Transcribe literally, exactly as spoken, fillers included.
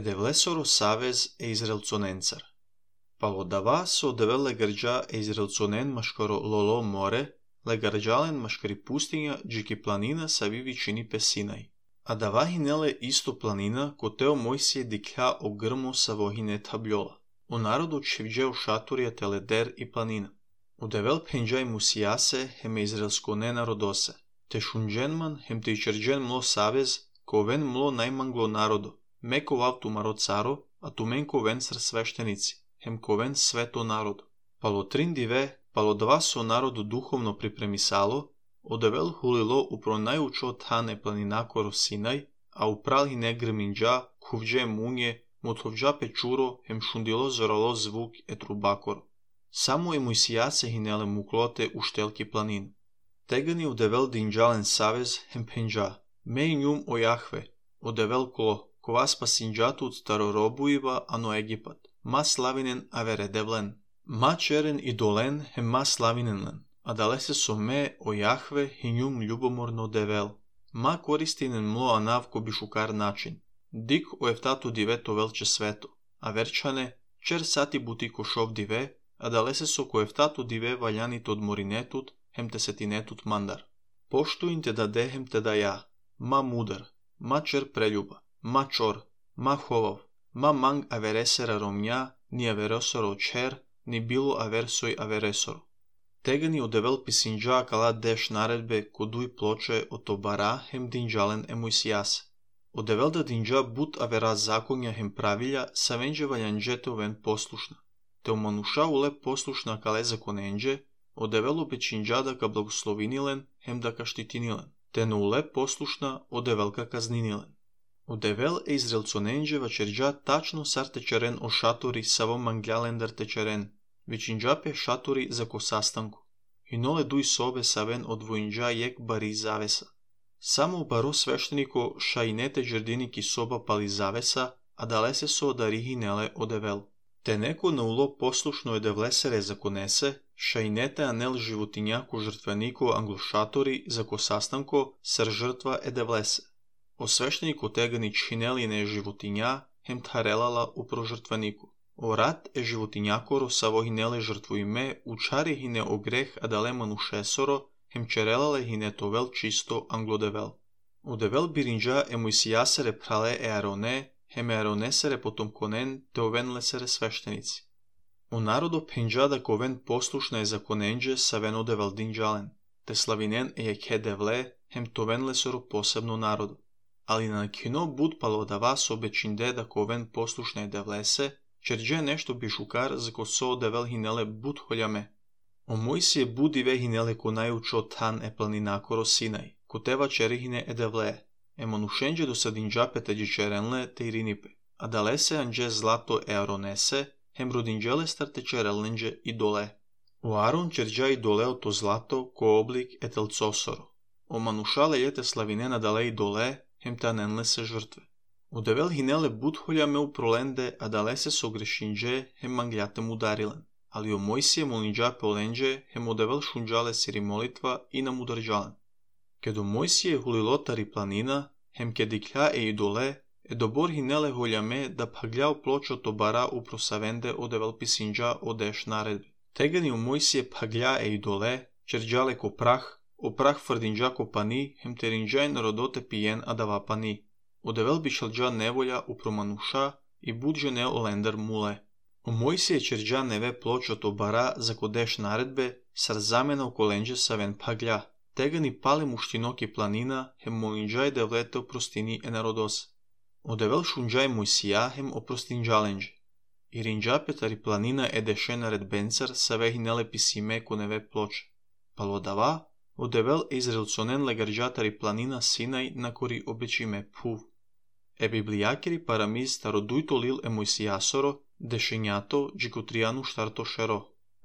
Edevlesoro savez e izraelconencar. Palodava so devel legarđa e izraelconen maškoro lolo more, legarđalen maškari pustinja džiki planina sa vivi čini pe Sinaj. A dava hinele isto planina koteo Mojsije diklja o grmo sa vohine tabljola. O narodu čivđeo šaturija teleder i planina. U devel penđaj musijase heme izraelskone narodose. Te šunđenman hem te ičerđen mlo savez, ko ven mlo najmanglo narodo. Meko vavtu maro caro, a tu menko ven sr sveštenici, hem ko ven sveto narodu. Palo trin dive, palo dva so narodu duhovno pripremisalo, odevel hulilo upro najučo tane planinakoro Sinaj, a upral hine grminđa, kuvđe munje, motovđa pečuro, hem šundilo zoralo zvuk et rubakoro. Samo je Mojsijase hinele muklote u štelki planinu. Tegani odevel dinđalen savez hem penđa, me njum o Jahve, odevel klo, kova spasinđatut starorobuiva ano Egipat, ma slavinen avere devlen, ma čeren i dolen hem ma slavinenlen, a dalese so me o Jahve hinjum ljubomorno devel, ma koristinen mlo anavko bišukar način, dik o eftatu dive to velče sveto, a verčane, čer sati buti košov dive, a dalese so ko eftatu dive valjanit od morinetut, hem te setinetut mandar. Poštuin te da dehem te da ja, ma mudar, ma čer preljuba, ma čor, ma holov, ma mang averesera romnja, ni averesoro čer, ni bilo aversoj averesoro. Tegani odevel pisinđa kala deš naredbe koduj ploče o to bara hem dinđalen e Mojsijase. Odevel da dinđa but avera zakonja hem pravilja sa venđe valjanđete oven poslušna. Te omanuša ule poslušna kale zakonenđe, odevel opečinđa da ka blagoslovinilen hem da ka štitinilen. Te no ule poslušna odevel ka kazninilen. Odevel e izraelconenđe vačerđa tačno sar tečeren o šatori savo mangljalendar tečeren, vičinđa pe šatori za ko sastanku. Inole duj sobe saven od vojinđa jek bari zavesa. Samo baro svešteniko šajnete džerdiniki soba pali zavesa, a dalese so da rihinele odevel. Te neko na ulo poslušno edevlesere zakonese, šajnete anel životinjako žrtveniko anglošatori za ko sastanko sar žrtva edevlese. O svešteniku tegani čhineline životinja hem tharelala upro žrtveniku. O rat e životinjakoro savo hinele žrtvu ime učari hine o greh adaleman u šesoro hem čerelale hine tovel čisto anglodevel. O devel birinđa e Mojsijasere prale e Arone hem e Aronesere potomkonen te ovenlesere sveštenici. O narodo penđada koven poslušna je zakonenđe sa ven odevel dinđalen, te slavinen e jek hedevle hem tovenlesoro posebno narodu. Ali na kino bud palodava so bečinde da koven poslušne devlese, čerđe nešto bišukar za ko so devel hinele bud holjame. O Mojsije budive hinele ko najučo tan e planinakoro Sinaj, ko teva čerihine e devle, e manušenđe do sadinđape te džičerenle te irinipe, a dalese anđe zlato e Aronese, hem rodinđele starte čerelnenđe i dole. O Aron čerđa i doleo to zlato ko oblik e telcosoro. O manušale jete slavinena dale i dole, hem ta nenlese žrtve. Odevel hinele budholjame u prolende, a dalese so grešinđe hem mangljatem udarilen. Ali o Mojsije molinđa polenđe hem odevel šunđale siri molitva i nam udarđalen. Kedo Mojsije hulilotari planina, hem ke diklja e idole, e dobor hinele holjame da pagljao pločo to bara upro savende odevel pisinđa odeš naredbi. Tegani o Mojsije paglja e idole, čerđale ko prah, o prah frdinđa ko pani, hem terinđaj narodote pijen adava pani. Odevel bišalđa nevolja upro manuša i budže ne olender mule. O Mojsije čerđa neve pločo to bara za kodeš naredbe, sar zamena u kolenđe sa ven paglja. Tegani pale muštinoki planina, hem molinđaj devlete oprostini e narodose. Odevel šunđaj Mojsija hem oprostinđalenđe. I rinđa petari planina e deše naredbencar sa vehinele pisime ko neve ploče. Palodava, odevel e izraelconen legarđatari planina Sinaj na kori obećime puv. E biblijakiri paramiz starodujto lil e Mojsijasoro, dešenjato džikotrijanu štarto šero.